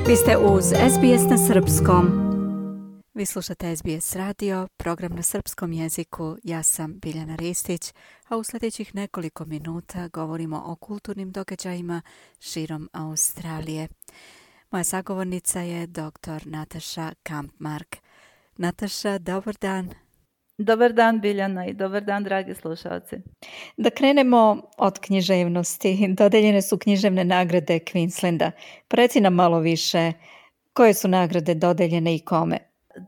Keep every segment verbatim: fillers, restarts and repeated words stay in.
Vi ste uz S B S na srpskom. Vi slušate S B S radio, program na srpskom jeziku. Ja sam Biljana Ristić, a u sljedećih nekoliko minuta govorimo o kulturnim događajima širom Australije. Moja sagovornica je doktor Nataša Kampmark. Nataša, dobar dan. Dobar dan Biljana i dobar dan dragi slušalci. Da krenemo od književnosti. Dodeljene su književne nagrade Queenslanda. Reci nam malo više koje su nagrade dodeljene i kome.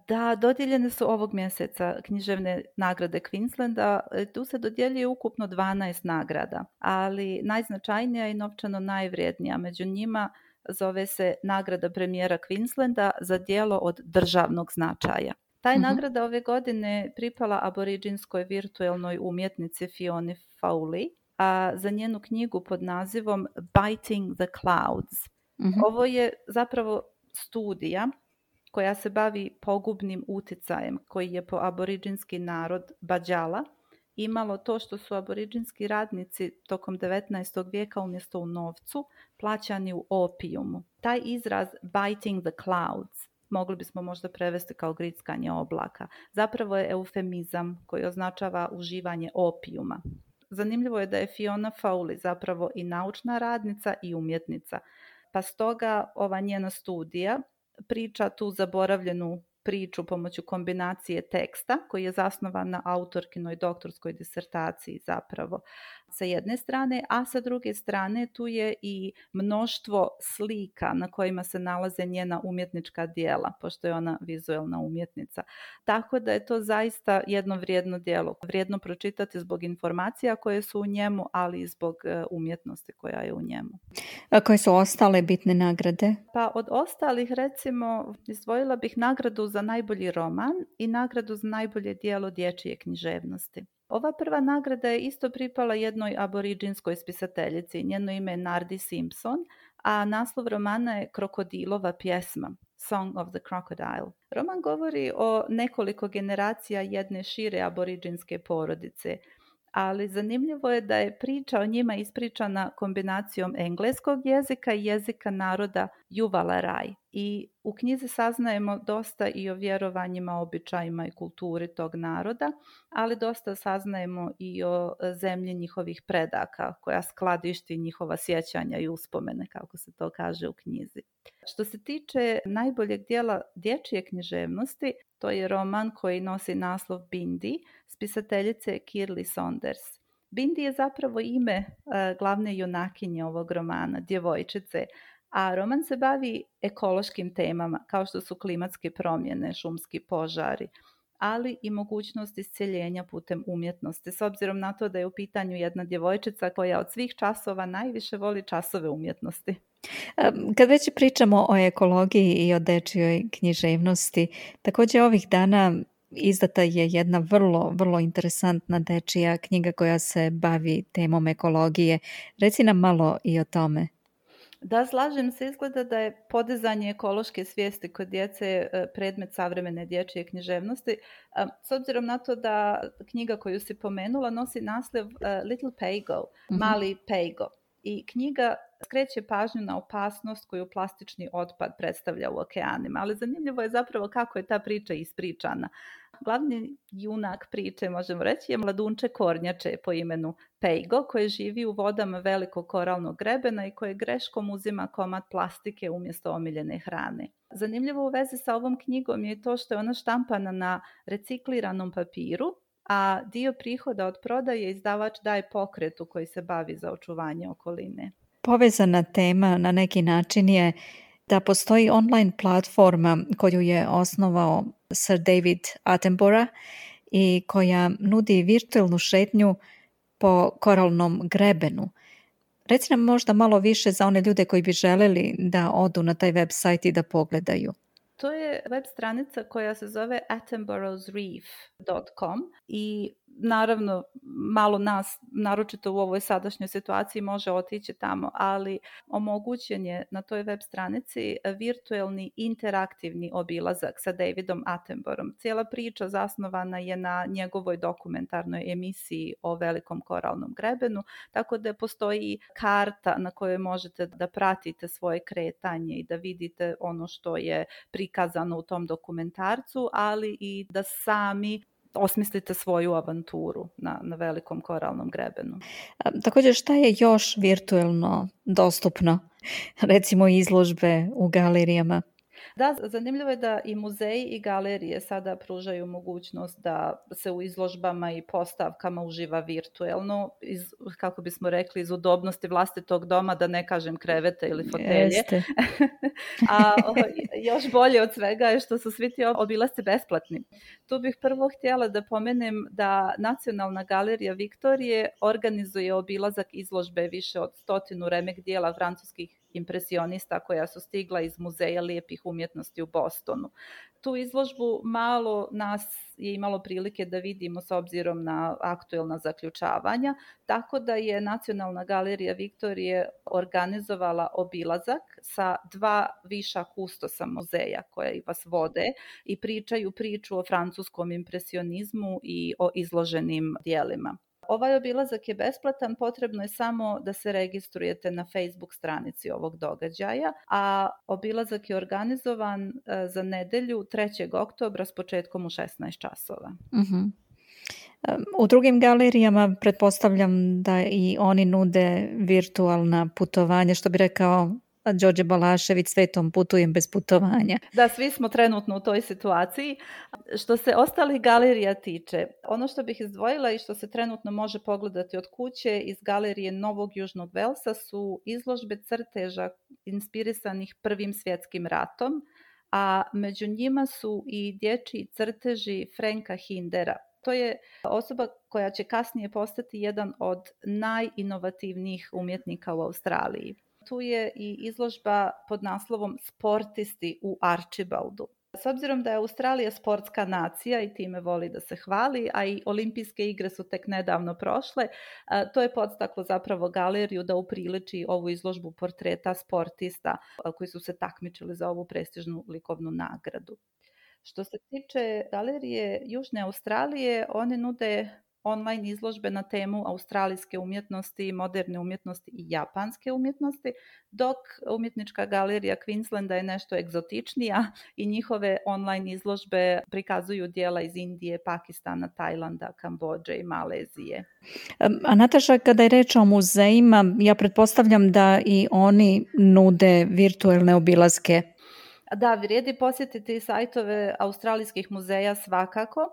Da, dodijeljene su ovog mjeseca književne nagrade Queenslanda. Tu se dodjeljuje ukupno dvanaest nagrada, ali najznačajnija i novčano najvrijednija među njima zove se nagrada premijera Queenslanda za djelo od državnog značaja. Ta je nagrada ove godine pripala aboriđinskoj virtualnoj umjetnici Fioni Fowley, a za njenu knjigu pod nazivom Biting the Clouds. Uh-huh. Ovo je zapravo studija koja se bavi pogubnim utjecajem koji je po aboriđinski narod Badjala imalo to što su aboriđinski radnici tokom devetnaestog vijeka umjesto u novcu plaćani u opijumu. Taj izraz Biting the Clouds mogli bismo možda prevesti kao grickanje oblaka. Zapravo je eufemizam koji označava uživanje opijuma. Zanimljivo je da je Fiona Fowley zapravo i naučna radnica i umjetnica, pa stoga ova njena studija priča tu zaboravljenu priču pomoću kombinacije teksta koji je zasnovan na autorkinoj doktorskoj disertaciji zapravo sa jedne strane, a sa druge strane tu je i mnoštvo slika na kojima se nalaze njena umjetnička djela, pošto je ona vizualna umjetnica. Tako da je to zaista jedno vrijedno djelo, vrijedno pročitati zbog informacija koje su u njemu, ali i zbog umjetnosti koja je u njemu. A koje su ostale bitne nagrade? Pa od ostalih recimo izdvojila bih nagradu za najbolji roman i nagradu za najbolje djelo dječje književnosti. Ova prva nagrada je isto pripala jednoj aboriđinskoj spisateljici, njeno ime je Nardi Simpson, a naslov romana je Krokodilova pjesma, Song of the Crocodile. Roman govori o nekoliko generacija jedne šire aboriđinske porodice, ali zanimljivo je da je priča o njima ispričana kombinacijom engleskog jezika i jezika naroda Yuvalaraj. I u knjizi saznajemo dosta i o vjerovanjima, običajima i kulturi tog naroda, ali dosta saznajemo i o zemlji njihovih predaka, koja skladišti njihova sjećanja i uspomene, kako se to kaže u knjizi. Što se tiče najboljeg dijela dječje književnosti, to je roman koji nosi naslov Bindi, spisateljice Kirli Saunders. Bindi je zapravo ime uh, glavne junakinje ovog romana, djevojčice, a roman se bavi ekološkim temama kao što su klimatske promjene, šumski požari, ali i mogućnost iscjeljenja putem umjetnosti, s obzirom na to da je u pitanju jedna djevojčica koja od svih časova najviše voli časove umjetnosti. Kad već pričamo o ekologiji i o dečjoj književnosti, također ovih dana izdata je jedna vrlo, vrlo interesantna dečija knjiga koja se bavi temom ekologije. Reci nam malo i o tome. Da, slažem se, izgleda da je podizanje ekološke svijesti kod djece predmet savremene dječje književnosti. S obzirom na to da knjiga koju si pomenula nosi naslov Little Paygo, mm-hmm. Mali Paygo. I knjiga skreće pažnju na opasnost koju plastični otpad predstavlja u okeanima, ali zanimljivo je zapravo kako je ta priča ispričana. Glavni junak priče, možemo reći, je mladunče kornjače po imenu Paygo, koji živi u vodama velikog koralnog grebena i koji greškom uzima komad plastike umjesto omiljene hrane. Zanimljivo u vezi sa ovom knjigom je to što je ona štampana na recikliranom papiru, a dio prihoda od prodaje izdavač daje pokretu koji se bavi za očuvanje okoline. Povezana tema na neki način je da postoji online platforma koju je osnovao Sir David Attenborough i koja nudi virtualnu šetnju po koralnom grebenu. Reci nam možda malo više za one ljude koji bi želeli da odu na taj website i da pogledaju. To je web stranica koja se zove attenboroughs reef dot com i naravno malo nas, naročito u ovoj sadašnjoj situaciji, može otići tamo, ali omogućen je na toj web stranici virtuelni interaktivni obilazak sa Davidom Attenboroughom. Cijela priča zasnovana je na njegovoj dokumentarnoj emisiji o Velikom koralnom grebenu, tako da postoji karta na kojoj možete da pratite svoje kretanje i da vidite ono što je prikazano u tom dokumentarcu, ali i da sami osmislite svoju avanturu na, na Velikom koralnom grebenu. A, također, šta je još virtuelno dostupno? Recimo izložbe u galerijama? Da, zanimljivo je da i muzeji i galerije sada pružaju mogućnost da se u izložbama i postavkama uživa virtuelno, iz, kako bismo rekli, iz udobnosti vlastitog doma, da ne kažem krevete ili fotelje. A o, još bolje od svega je što su svi ti obilasci besplatni. Tu bih prvo htjela da pomenem da Nacionalna galerija Viktorije organizuje obilazak izložbe više od stotinu remek dijela francuskih impresionista koja su stigla iz Muzeja lijepih umjetnosti u Bostonu. Tu izložbu malo nas je imalo prilike da vidimo s obzirom na aktuelna zaključavanja, tako da je Nacionalna galerija Viktorije organizovala obilazak sa dva viša kustosa muzeja koja vas vode i pričaju priču o francuskom impresionizmu i o izloženim dijelima. Ovaj obilazak je besplatan, potrebno je samo da se registrujete na Facebook stranici ovog događaja, a obilazak je organizovan za nedelju trećeg oktobra s početkom u šesnaest časova. Uh-huh. U drugim galerijama pretpostavljam da i oni nude virtualna putovanja, što bi rekao Đorđe Balašević, svetom putujem bez putovanja. Da, svi smo trenutno u toj situaciji. Što se ostalih galerija tiče, ono što bih izdvojila i što se trenutno može pogledati od kuće iz galerije Novog Južnog Velsa su izložbe crteža inspirisanih Prvim svjetskim ratom, a među njima su i dječji crteži Franka Hindera. To je osoba koja će kasnije postati jedan od najinovativnijih umjetnika u Australiji. Tu je i izložba pod naslovom Sportisti u Archibaldu. S obzirom da je Australija sportska nacija i time voli da se hvali, a i olimpijske igre su tek nedavno prošle, to je podstaklo zapravo galeriju da upriliči ovu izložbu portreta sportista koji su se takmičili za ovu prestižnu likovnu nagradu. Što se tiče galerije Južne Australije, one nude online izložbe na temu australijske umjetnosti, moderne umjetnosti i japanske umjetnosti, dok umjetnička galerija Queenslanda je nešto egzotičnija i njihove online izložbe prikazuju dijela iz Indije, Pakistana, Tajlanda, Kambodže i Malezije. A Nataša, kada je reč o muzejima, ja pretpostavljam da i oni nude virtuelne obilaske. Da, vrijedi posjetiti sajtove australijskih muzeja svakako.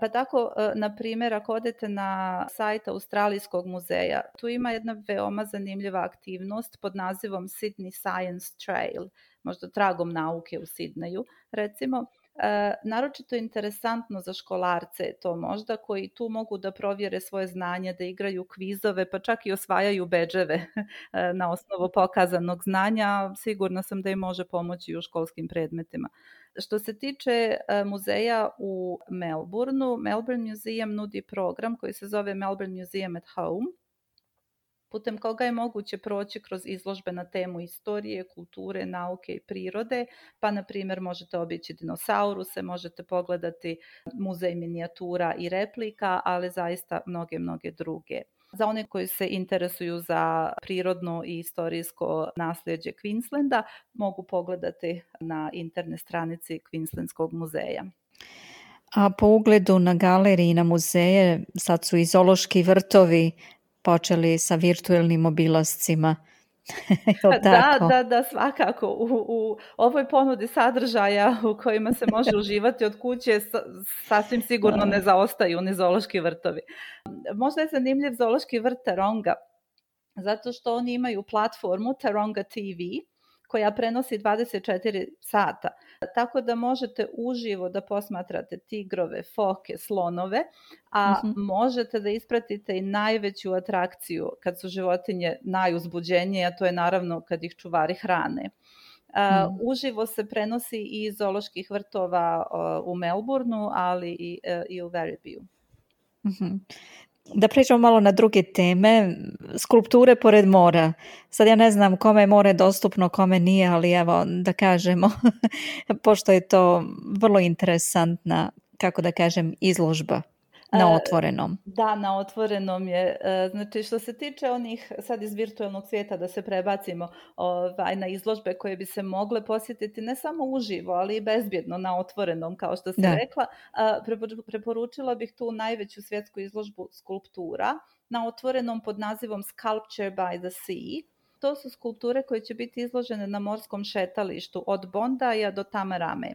Pa tako, na primjer, ako odete na sajt Australijskog muzeja, tu ima jedna veoma zanimljiva aktivnost pod nazivom Sydney Science Trail, možda tragom nauke u Sidneju, recimo. E, naročito interesantno za školarce je to možda, koji tu mogu da provjere svoje znanje, da igraju kvizove, pa čak i osvajaju bedževe na osnovu pokazanog znanja. Sigurna sam da im može pomoći u školskim predmetima. Što se tiče muzeja u Melbourneu, Melbourne Museum nudi program koji se zove Melbourne Museum at Home, putem koga je moguće proći kroz izložbe na temu istorije, kulture, nauke i prirode, pa na primjer možete obići dinosauruse, možete pogledati muzej minijatura i replika, ali zaista mnoge, mnoge druge. Za one koji se interesuju za prirodno i istorijsko nasljeđe Queenslanda, mogu pogledati na internet stranici Queenslandskog muzeja. A po ugledu na galeriji i na muzeje, sad su i zoološki vrtovi počeli sa virtuelnim obilascima. da, da, da, svakako. U, u ovoj ponudi sadržaja u kojima se može uživati od kuće sasvim sigurno ne zaostaju ni zoološki vrtovi. Možda je zanimljiv zoološki vrt Taronga, zato što oni imaju platformu Taronga T V, koja prenosi dvadeset četiri sata. Tako da možete uživo da posmatrate tigrove, foke, slonove, a mm-hmm. možete da ispratite i najveću atrakciju kad su životinje najuzbuđenije, a to je naravno kad ih čuvari hrane. Uh, mm. Uživo se prenosi i iz zooloških vrtova uh, u Melbourneu, ali i, uh, i u Werribee. Mhm. Da pričamo malo na druge teme, skulpture pored mora. Sad ja ne znam kome je more dostupno, kome nije, ali evo da kažemo, pošto je to vrlo interesantna, kako da kažem, izložba na otvorenom. Da, na otvorenom je. Znači što se tiče onih sad iz virtualnog svijeta, da se prebacimo ovaj, na izložbe koje bi se mogle posjetiti ne samo uživo, ali i bezbjedno na otvorenom, kao što si Da. rekla. Preporučila bih tu najveću svjetsku izložbu skulptura na otvorenom pod nazivom Sculpture by the Sea. To su skulpture koje će biti izložene na morskom šetalištu od Bondaja do Tamarame.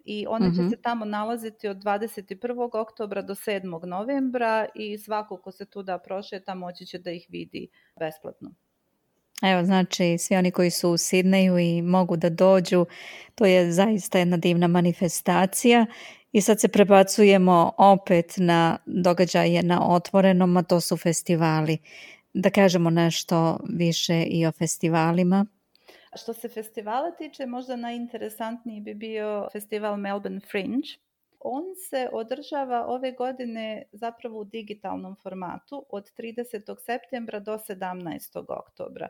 I one će Mhm. se tamo nalaziti od dvadeset prvog oktobra do sedmog novembra i svako ko se tuda prošeta moći će da ih vidi besplatno. Evo, znači, svi oni koji su u Sidneju i mogu da dođu, to je zaista jedna divna manifestacija. I sad se prebacujemo opet na događaje na otvorenom, a to su festivali. Da kažemo nešto više i o festivalima. Što se festivala tiče, možda najinteresantniji bi bio festival Melbourne Fringe. On se održava ove godine zapravo u digitalnom formatu od tridesetog septembra do sedamnaestog oktobra.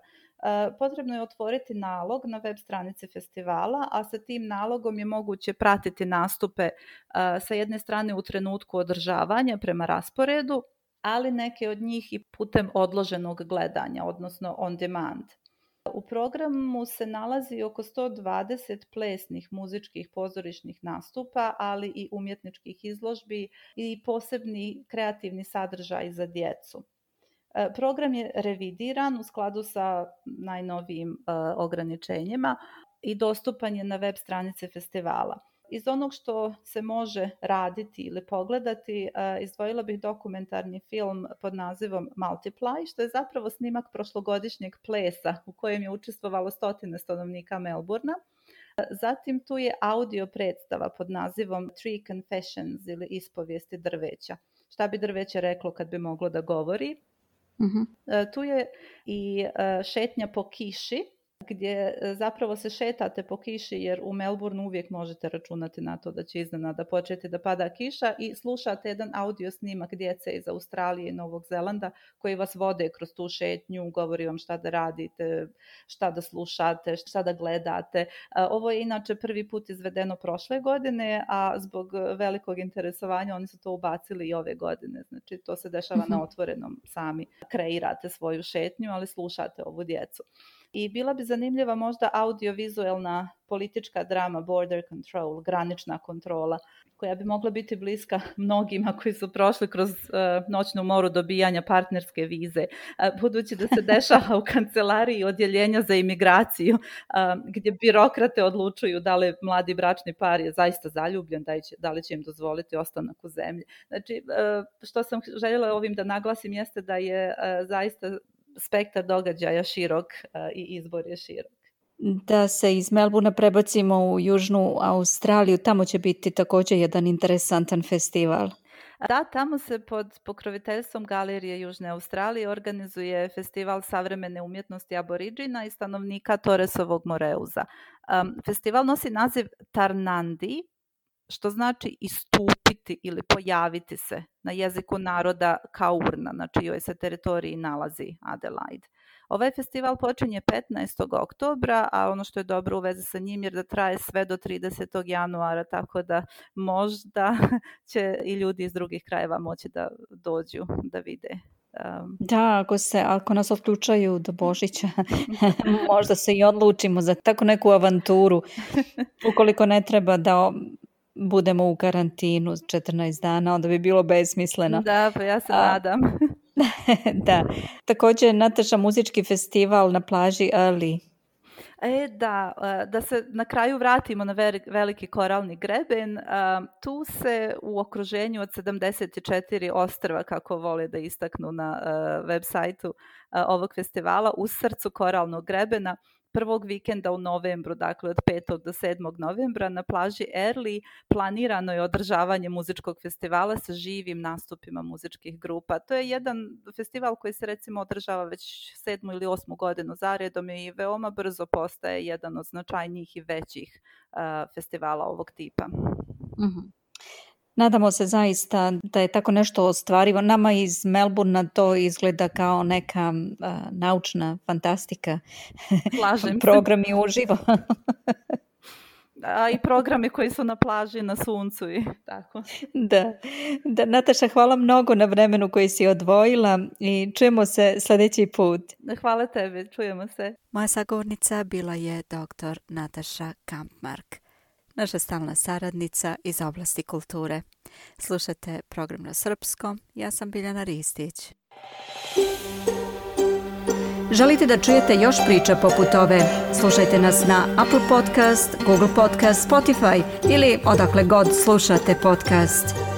Potrebno je otvoriti nalog na web stranici festivala, a sa tim nalogom je moguće pratiti nastupe sa jedne strane u trenutku održavanja prema rasporedu, ali neke od njih i putem odloženog gledanja, odnosno on demand. U programu se nalazi oko sto dvadeset plesnih, muzičkih, pozorišnih nastupa, ali i umjetničkih izložbi i posebni kreativni sadržaj za djecu. Program je revidiran u skladu sa najnovijim uh, ograničenjima i dostupan je na web stranice festivala. Iz onog što se može raditi ili pogledati, uh, izdvojila bih dokumentarni film pod nazivom Multiply, što je zapravo snimak prošlogodišnjeg plesa u kojem je učestvovalo stotine stanovnika Melburna. Zatim tu je audio predstava pod nazivom Tree Confessions ili Ispovijesti drveća. Šta bi drveće reklo kad bi moglo da govori? Uh-huh. Tu je i šetnja po kiši, gdje zapravo se šetate po kiši, jer u Melbourneu uvijek možete računati na to da će iznenada početi da pada kiša, i slušate jedan audio snimak djece iz Australije i Novog Zelanda koji vas vode kroz tu šetnju, govori vam šta da radite, šta da slušate, šta da gledate. Ovo je inače prvi put izvedeno prošle godine, a zbog velikog interesovanja oni su to ubacili i ove godine. Znači to se dešava uh-huh. na otvorenom, sami kreirate svoju šetnju, ali slušate ovu djecu. I bila bi zanimljiva možda audiovizualna politička drama Border Control, granična kontrola, koja bi mogla biti bliska mnogima koji su prošli kroz uh, noćnu moru dobijanja partnerske vize, uh, budući da se dešava u kancelariji odjeljenja za imigraciju, uh, gdje birokrate odlučuju da li mladi bračni par je zaista zaljubljen, da, će, da li će im dozvoliti ostanak u zemlji. Znači, uh, što sam željela ovim da naglasim jeste da je uh, zaista spektar događaja širok uh, i izbor je širok. Da se iz Melbournea prebacimo u Južnu Australiju, tamo će biti također jedan interesantan festival. Da, tamo se pod pokroviteljstvom Galerije Južne Australije organizuje festival savremene umjetnosti aboriđina i stanovnika Torresovog Moreuza. Um, festival nosi naziv Tarnandi, što znači istupiti ili pojaviti se na jeziku naroda Kaurna, na čijoj se teritoriji nalazi Adelaide. Ovaj festival počinje petnaestog oktobra, a ono što je dobro u vezi sa njim je da traje sve do tridesetog januara, tako da možda će i ljudi iz drugih krajeva moći da dođu da vide. Um, da, ako, se, ako nas otključaju do Božića, možda se i odlučimo za tako neku avanturu, ukoliko ne treba da budemo u karantinu četrnaest dana, onda bi bilo besmisleno. Da, pa ja se A, nadam. Da. Također Nataša, muzički festival na plaži Early. E, da, da se na kraju vratimo na veliki koralni greben. Tu se u okruženju od sedamdeset četiri ostrva, kako vole da istaknu na web sajtu ovog festivala, u srcu koralnog grebena, prvog vikenda u novembru, dakle od petog do sedmog novembra na plaži Early planirano je održavanje muzičkog festivala sa živim nastupima muzičkih grupa. To je jedan festival koji se recimo održava već sedmu ili osmu godinu zaredom i veoma brzo postaje jedan od značajnijih i većih uh, festivala ovog tipa. Mm-hmm. Nadamo se zaista da je tako nešto ostvarivo. Nama iz Melbourna to izgleda kao neka uh, naučna fantastika. Slažem Programi uživo. A i programi koji su na plaži, na suncu i tako. Da. da. Nataša, hvala mnogo na vremenu koji si odvojila i čujemo se sljedeći put. Hvala tebi, čujemo se. Moja sagovornica bila je doktor Nataša Kampmark, naša stalna saradnica iz oblasti kulture. Slušajte program na srpskom, ja sam Biljana Ristić. Želite da čujete još priča poput ove? Slušajte nas na Apple Podcast, Google Podcast, Spotify ili odakle god slušate podcast.